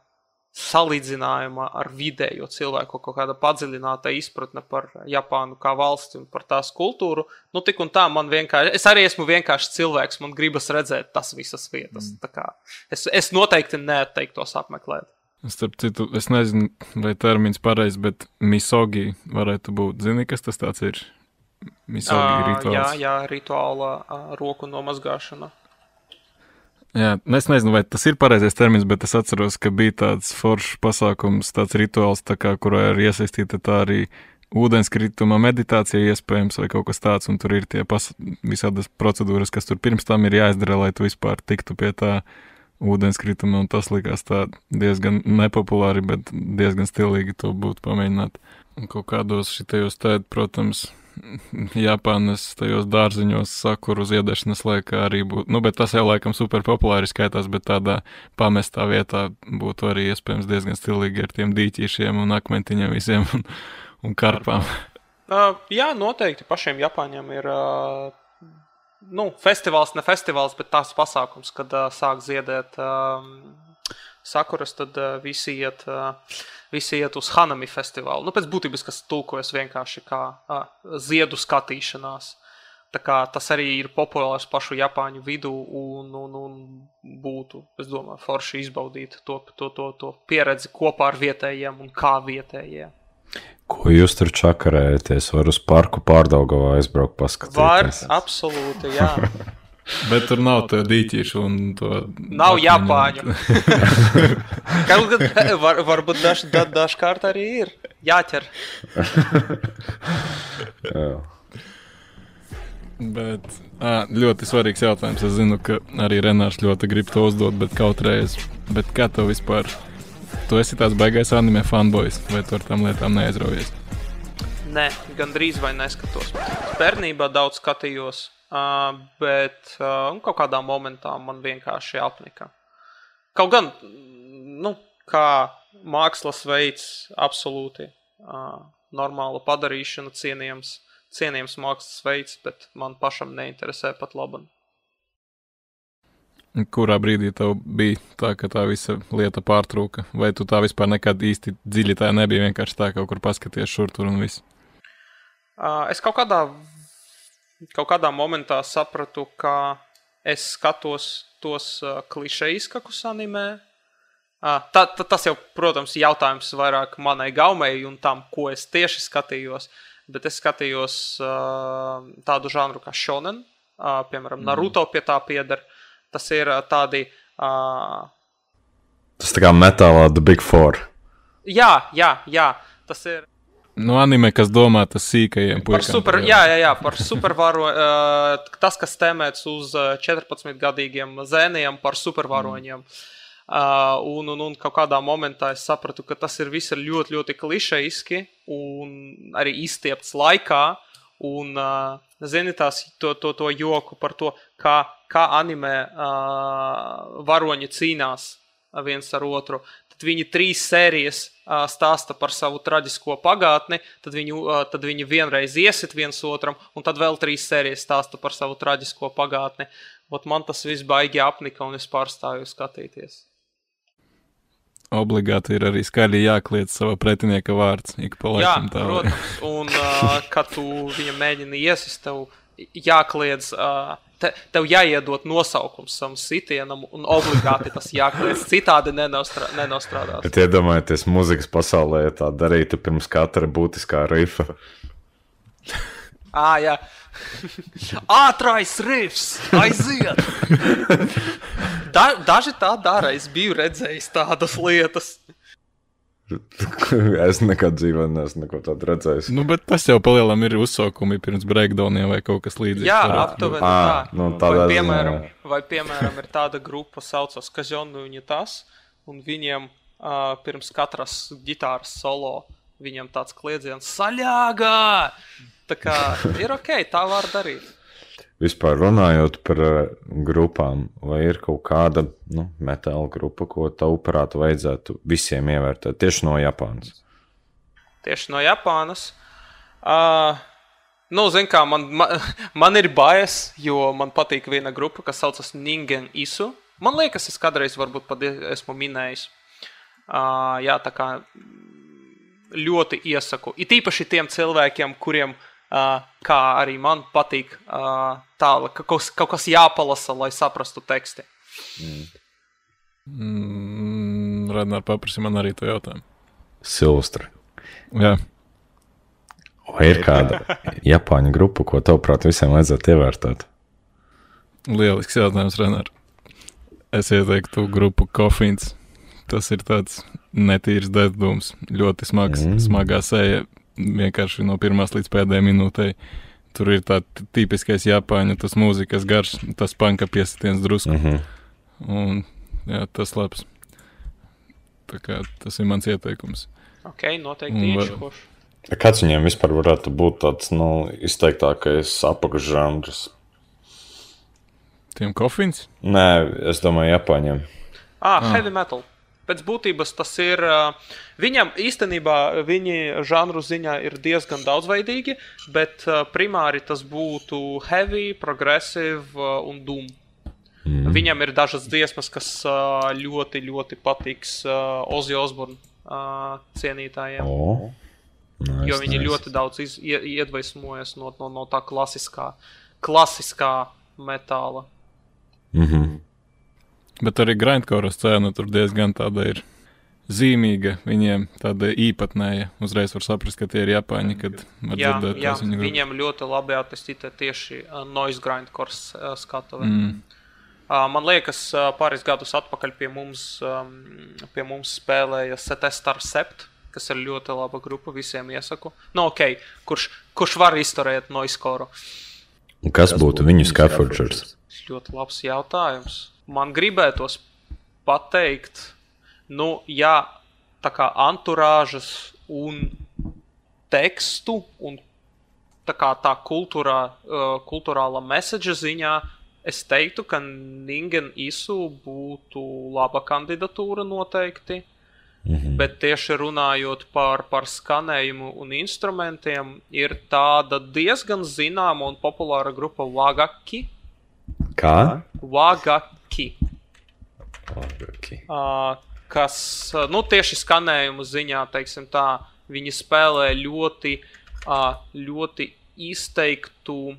salīdzinājuma ar vidējo cilvēku, kaut kāda padziļināta izpratne par Japānu kā valsti un par tās kultūru, nu tik un tā man vienkārši, es arī esmu vienkārši cilvēks, man gribas redzēt tas visas vietas. Mm. Tā kā es, es noteikti neatteiktos apmeklēt. Starp citu, es nezinu, vai termins pareizi, bet misogi varētu būt. Zini, kas tas tāds ir? Misogi uh, rituāls. Jā, jā, rituāla uh, roku nomazgāšana. Jā, es nezinu, vai tas ir pareizais termins, bet es atceros, ka bija tāds foršs pasākums, tāds rituāls, tā kā, kurā ir iesaistīta tā arī ūdenskrituma meditācija iespējams vai kaut kas tāds, un tur ir tie pas, visādas procedūras, kas tur pirms tam ir jāizdara, lai tu vispār tiktu pie tā ūdenskrituma, un tas likās tā diezgan nepopulāri, bet diezgan stilīgi to būtu pamēģināt. Un kaut kādos šitajos tēd, protams, Japānas tajos dārziņos sakuru ziedēšanas laikā arī būtu, nu, bet tas jau laikam super populāri skaitās, bet tādā pamestā vietā būtu arī iespējams diezgan stilīgi ar tiem dīķīšiem un akmentiņiem visiem un, un karpām. Uh, jā, noteikti pašiem Japāņiem ir, uh, nu, festivāls, ne festivāls, bet tās pasākums, kad uh, sāk ziedēt uh, sakuras, tad uh, visi iet... Uh, Visi iet uz Hanami festivālu. Nu, pēc būtības, kas tulkojas vienkārši kā a, ziedu skatīšanās. Tā kā tas arī ir populārs pašu Japāņu vidū un, un, un būtu, es domāju, forši izbaudīt to, to, to, to pieredzi kopā ar vietējiem un kā vietējie. Ko jūs tur čakarējaties? Var uz parku Pārdaugavā aizbraukt paskatīties? Var, absolūti, jā. Bet tur nav to dīķīšu un to... Nav Japāņu. Kaut gan var, varbūt daž, da, dažkārt arī ir. Jāķer. Jā. Bet ā, ļoti svarīgs jautājums. Es zinu, ka arī Renārs ļoti grib to uzdot, bet kaut reiz. Bet kā tev vispār... Tu esi tāds baigais anime fanboys, vai tu ar tām lietām neaizraujies? Nē, gandrīz vai neskatos. Bērnībā daudz skatījos. Uh, bet uh, kaut kādā momentā man vienkārši apnika. Kaut gan, nu, kā mākslas veids absolūti uh, normāla padarīšana, cienījams, cienījams mākslas veids, bet man pašam neinteresē pat laban. Kurā brīdī tev bija tā, ka tā visa lieta pārtrūka? Vai tu tā vispār nekad īsti dziļi tā nebija, vienkārši tā kaut kur paskaties šur tur un viss? Uh, es kaut kādā Kaut kādā momentā sapratu, ka es skatos tos uh, klišejiskakus animē. Uh, ta, ta, tas jau, protams, jautājums vairāk manai gaumei un tam, ko es tieši skatījos. Bet es skatījos uh, tādu žanru kā shonen. Uh, piemēram, Naruto pie tā pieder. Tas ir uh, tādi... Uh... Tas tā kā metālā The Big Four. Jā, jā, jā. Tas ir... Nu, anime, kas domā tas sīkajiem puikām. Par super, jā, jā, jā, par supervaro, uh, tas, kas tēmēts uz četrpadsmitgadīgiem zēniem par supervaroņiem. Uh, un, un, un kaut kādā momentā es sapratu, ka tas ir viss ļoti, ļoti klišejiski un arī izstiepts laikā. Un, uh, zini, tās to, to, to joku par to, kā, kā anime uh, varoņi cīnās viens ar otru. Tad viņi trīs sērijas uh, stāsta par savu traģisko pagātni, tad viņi, uh, tad viņi vienreiz iesit viens otram, un tad vēl trīs sērijas stāsta par savu traģisko pagātni. Ot man tas viss baigi apnika, un es pārstāju skatīties. Obligāti ir arī skaļi jākliedz sava pretinieka vārds. Ik pa laikam tā. Jā, protams. Un, uh, kad tu viņam mēģini iesist, tev jākliedz, uh, te, tev jāiedot nosaukums savam sitienam, un obligāti tas jākliedz. Citādi nenostrā, nenostrādās. Bet iedomājieties, muzikas pasaulē tā darītu pirms katra būtiskā rifa. Ā, jā. Ātrais rifs, aiziet! Da, daži tā dara, es biju redzējis tādas lietas. Es nekad dzīvē neesmu neko tādu redzējis. Nu, bet tas jau palielam ir uzsaukumi pirms breakdowniem vai kaut kas līdzīgs. Jā, aptuveni tā. Nu, vai, piemēram, vai, piemēram, ir tāda grupa saucas Kazonu Unitas, un viņiem uh, pirms katras ģitāras solo viņiem tāds kliedziens saļāgā! Tā kā ir ok, tā var darīt. Vispār runājot par uh, grupām, vai ir kaut kāda nu, metāla grupa, ko tavuprāt vajadzētu visiem ievērtēt, tieši no Japānas? Tieši no Japānas? Uh, nu, zin kā, man, man, man ir bias, jo man patīk viena grupa, kas saucas Ningen Isu. Man liekas, es kādreiz varbūt pat esmu minējis. Uh, jā, tā kā ļoti iesaku. It īpaši tiem cilvēkiem, kuriem Uh, kā arī man patīk uh, tā, ka kaut, kaut kas jāpalasa, lai saprastu teksti. Mm. Mm, Radnār paprasi man arī to jautājumu. Silvestra. Jā. Vai ir kāda Japāņu grupa, ko tavuprāt visiem vajadzētu ievērtēt? Lielisks jautājums, Radnār. Es ieteiktu grupu Kofins. Tas ir tāds netīrs dēdums, ļoti smags, mm. smagā seja. Vienkārši no pirmās līdz pēdējai minūtei. Tur ir tā tipiskais Japāņu, tas mūzikas garš, tas panka piesitiens drusku. Mm-hmm. Un, jā, tas labs. Tā kā tas ir mans ieteikums. Ok, noteikti ieškošu. Var... Kāds viņiem vispār varētu būt tāds, nu, izteiktākais apakšžanrs? Tiem Kofins? Nē, es domāju Japāņiem. Ah, ah. Heavy metal. Pēc būtības tas ir, viņam īstenībā viņi žanru ziņā ir diezgan daudzveidīgi, bet primāri tas būtu heavy, progressive un doom. Mm. Viņam ir dažas dziesmas, kas ļoti, ļoti patiks Ozzy Osbourne cienītājiem. Oh. Nice, jo viņi nice. ļoti daudz iz, iedvesmojas no, no, no tā klasiskā, klasiskā metāla. Mhm. Bet arī grindcore scēna tur diezgan tāda ir zīmīga, viņiem tāda īpatnēja. Uzreiz var saprast, ka tie ir Japāņi, kad var jā, dzirdēt jā, tās viņu grupas. Viņiem ļoti labi attīstīta tieši uh, noise grindcore uh, skatuve. Mm. Uh, man liekas, uh, pāris gadus atpakaļ pie mums, um, pie mums spēlēja Setestar Sept, kas ir ļoti laba grupa, visiem iesaku. Nu, ok, kurš, kurš var izturēt noise-koru? Un kas, kas būtu viņu scaffolders? Ļoti labs jautājums. Man gribētos pateikt, nu, jā, tā kā anturāžas un tekstu un tā kā tā kultūrā, uh, kultūrāla message ziņā, es teiktu, ka Ningen Isu būtu laba kandidatūra noteikti, mm-hmm. bet tieši runājot par, par skanējumu un instrumentiem, ir tāda diezgan zināma un populāra grupa Wagaki. Kā? Wagaki. Wagaki. Uh, kas, nu, tieši skanējumu ziņā, teiksim tā, viņi spēlē ļoti, uh, ļoti izteiktu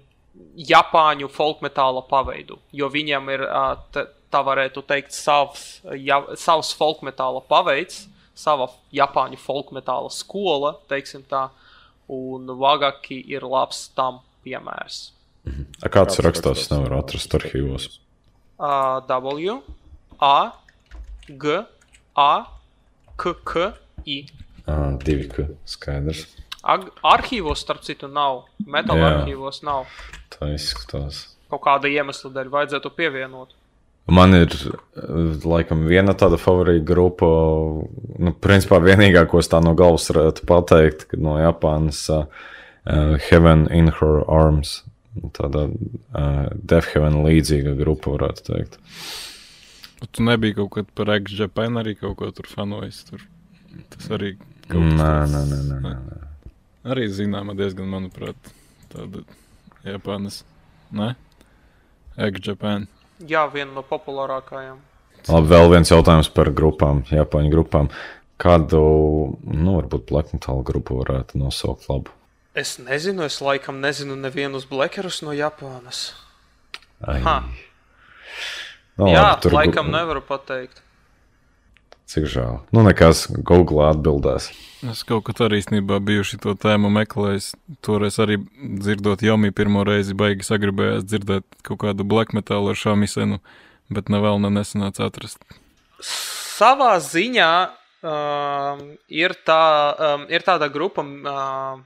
Japāņu folkmetāla paveidu, jo viņam ir, uh, te, tā varētu teikt, savs, ja, savs folkmetāla paveids, sava Japāņu folkmetāla skola, teiksim tā, un Wagaki ir labs tam piemērs. A kāds rakstās, nevar atrast arhīvos? Uh, w, A, G, A, K, K, I. Ah, divi K, skaidrs. Ag arhīvos, starp citu, nav. Metal Jā. arhīvos nav. Tā izskatās. Kaut kāda iemesla dēļ vajadzētu pievienot. Man ir, laikam, viena tāda favorīta grupa, nu, principā vienīgā, ko es tā no galvas varētu pateikt, no Japānas, uh, Heaven in Her Arms, tāda uh, Death Heaven līdzīga grupa, varētu teikt. Tu nebija kaut kad par X Japan arī kaut ko tur fanojis, tur tas arī kaut kas tāds. Nē, nē, nē, nē, nē. Arī zināma diezgan, manuprāt, tāda Japānas, ne? X Japan. Jā, viena no populārākajām. Labi, vēl viens jautājums par grupām, Japāņu grupām. Kādu, nu, varbūt black metal grupu varētu nosaukt labu? Es nezinu, es laikam nezinu nevienus blekerus no Japānas. Ai. Ha. No, Jā, labi, tur laikam gu- nevaru pateikt. Cik žēl. Nu, nekas, Google atbildēs. Es kaut kad arī īstenībā bijuši to tēmu meklējis. Toreiz arī dzirdot Jomi pirmo reizi baigi sagribējās dzirdēt kaut kādu black metal ar šamisenu, bet ne vēl ne nesanāca atrast. Savā ziņā um, ir, tā, um, ir tāda grupa um,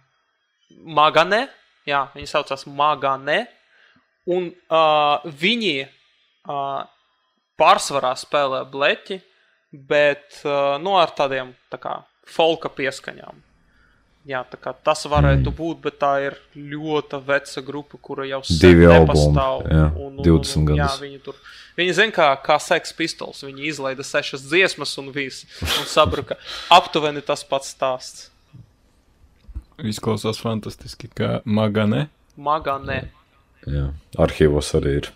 Magane, jā, viņi saucās Magane, un uh, viņi uh, pārsvarā spēlē bleķi, bet uh, nu, ar tādiem tā kā folka pieskaņām. Jā, tā kā tas varētu būt, bet tā ir ļoti veca grupa, kura jau sen Divi nepastāv. albumi, jā, un, un, divdesmit un, jā, gadus. viņi tur, viņi zin kā, kā Sex Pistols, viņi izlaida sešas dziesmas un viss, un sabruka. Aptuveni tas pats stāsts. Izklausās fantastiski, kā Magane. Magane. Jā, arhīvos arī ir.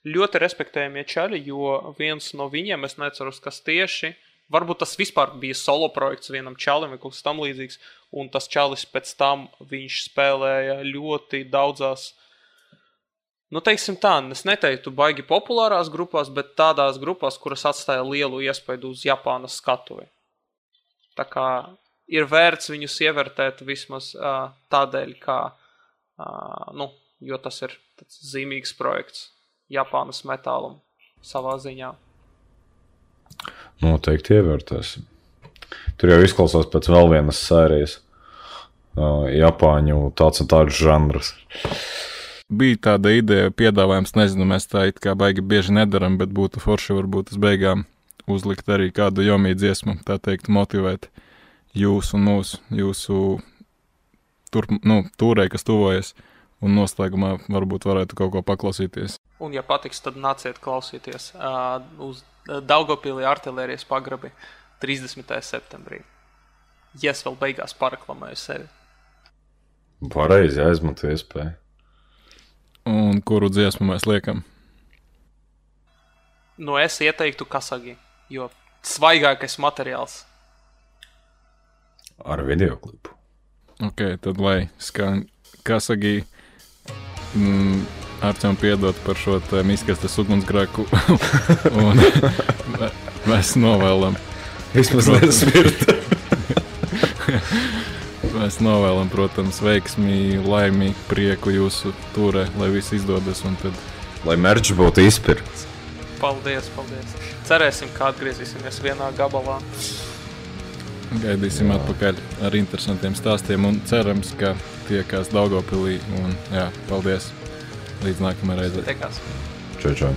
Ļoti respektējamie čaļi, jo viens no viņiem, es neceros, kas tieši, varbūt tas vispār bija solo projekts vienam čalim vai kaut kas tam līdzīgs, un tas čalis pēc tam viņš spēlēja ļoti daudzās, nu teiksim tā, es neteiktu baigi populārās grupās, bet tādās grupās, kuras atstāja lielu iespaidu uz Japānas skatuvi. Tā kā ir vērts viņus ievērtēt vismaz uh, tādēļ, kā, uh, nu, jo tas ir tāds zīmīgs projekts Japānas metālam savā ziņā. Noteikti ievērtēsim. Tur jau izklausās pēc vēl vienas sērijas. Uh, Japāņu tāds un tāds žanrs. Bija tāda ideja, piedāvājums, nezinu, mēs tā it kā baigi bieži nedaram, bet būtu forši varbūt uz beigām uzlikt arī kādu Jomi dziesmu, tā teikt, motivēt jūs un mūs, jūsu tur, nu, tūrei, kas tuvojas, un noslēgumā varbūt varētu kaut ko paklausīties. Un, ja patiks, tad nāciet klausīties uh, uz Daugavpilī artilērijas pagrabi trīsdesmitajā septembrī. Ja es vēl beigās pareklamēju sevi. Pareizi, aizmanto iespēju. Un kuru dziesmu mēs liekam? Nu, es ieteiktu Kasagi, jo svaigākais materiāls. Ar videoklipu. Ok, tad lai skan Kasagi. Mm, Arčam piedot par šo te miskastes ugunsgrēku. Un mēs novēlam. Vismaz nesmirt. Mēs novēlam, protams, veiksmi, laimi, prieku jūsu turē, lai viss izdodas. Un tad... Lai merč būtu izpirkts. Paldies, paldies. Cerēsim, ka atgriezīsimies vienā gabalā. Gaidīsim jā. Atpakaļ ar interesantiem stāstiem un cerams, ka tiekās Daugavpilī. Un jā, paldies. Līdz nākamajai reizei. Tiekās. Čau, čau.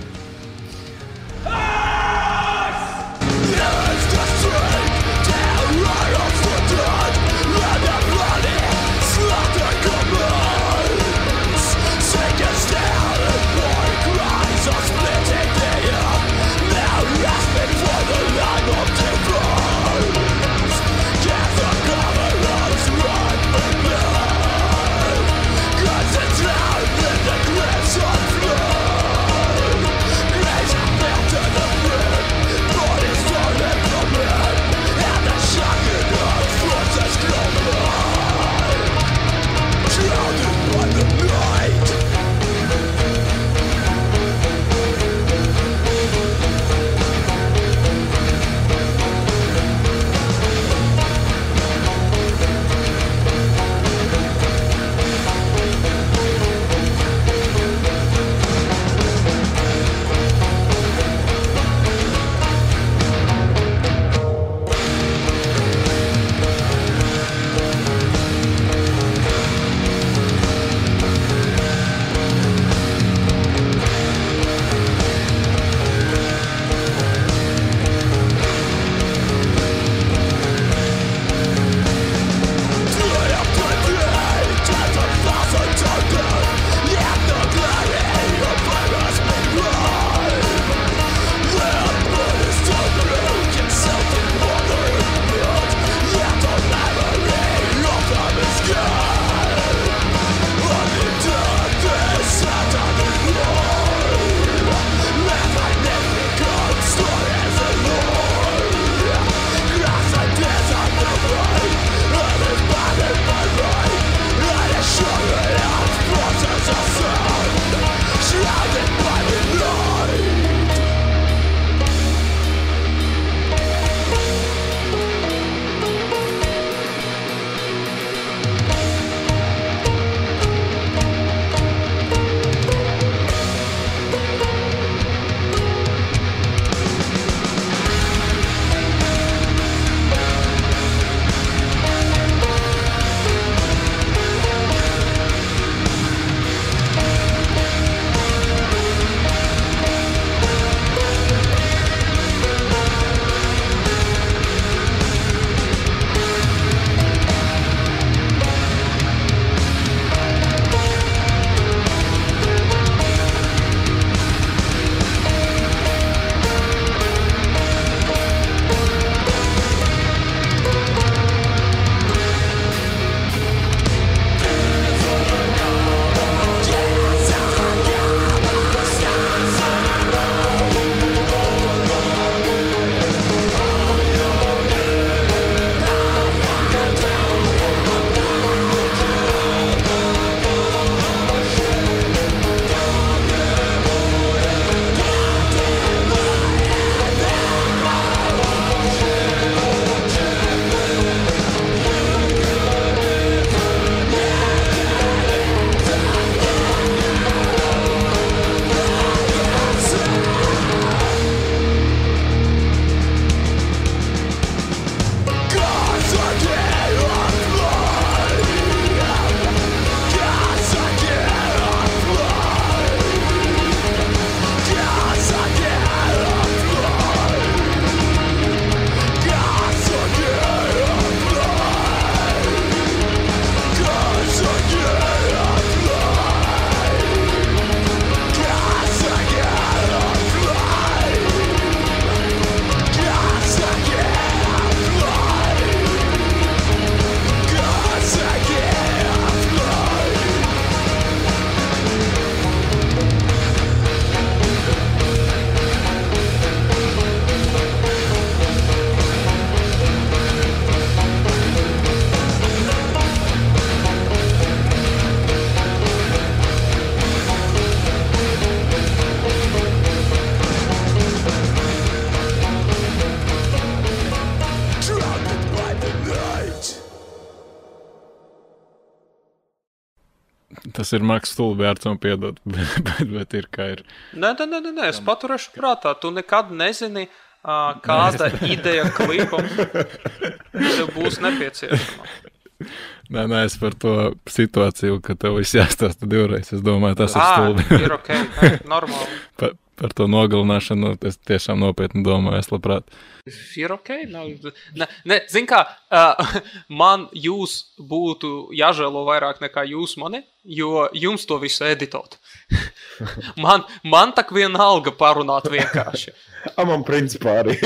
Tas ir maks stulbi vērts un piedot, bet, bet, bet ir kā ir. Nē, nē, nē, nē, es paturēšu prātā. Tu nekad nezini, uh, kāda ideja klipam tev būs nepieciešama. Nē, nē, es par to situāciju, ka tev viss jāstāsta divreiz. Es domāju, tas ir stulbi. Ā, ir ok, nē, normāli. par, par to nogalināšanu es tiešām nopietni domāju, es labprāt. Ir ok, nav. Ne, ne, zin kā, uh, man jūs būtu jāžēlo vairāk nekā jūs mani, jo jums to visu editot. man, man tak vienalga parunāt vienkārši. A man principā arī.